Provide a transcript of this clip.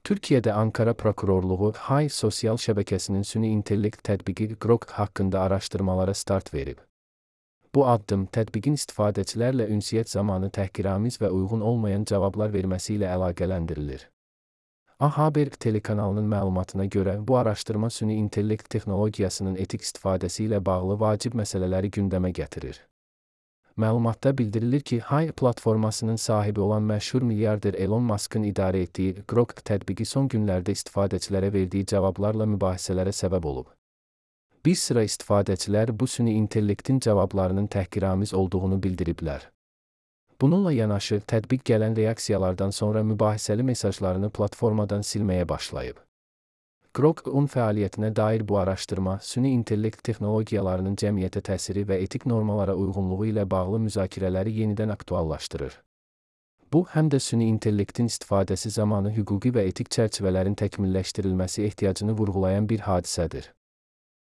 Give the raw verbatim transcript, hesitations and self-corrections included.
Türkiye'de Ankara Prokurorluğu Hay sosial şəbəkəsinin süni intellekt tətbiqi Grok haqqında araşdırmalara start verib. Bu addım tətbiqin istifadəçilərlə ünsiyyət zamanı təhqiramiz və uyğun olmayan cavablar verməsi ilə əlaqələndirilir. A Haber telekanalının məlumatına görə bu araşdırma süni intellekt texnologiyasının etik istifadəsi ilə bağlı vacib məsələləri gündəmə gətirir. Məlumatda bildirilir ki, Hay platformasının sahibi olan məşhur milyarder Elon Musk'ın idarə etdiyi Grok tətbiqi son günlərdə istifadəçilərə verdiyi cavablarla mübahisələrə səbəb olub. Bir sıra istifadəçilər bu süni intellektin cavablarının təhqiramiz olduğunu bildiriblər. Bununla yanaşı, tətbiq gələn reaksiyalardan sonra mübahisəli mesajlarını platformadan silməyə başlayıb. Grok'un fəaliyyətinə dair bu araşdırma, süni intellekt texnologiyalarının cəmiyyətə təsiri və etik normalara uyğunluğu ilə bağlı müzakirələri yenidən aktuallaşdırır. Bu, həm də süni intellektin istifadəsi zamanı hüquqi və etik çərçivələrin təkmilləşdirilməsi ehtiyacını vurğulayan bir hadisədir.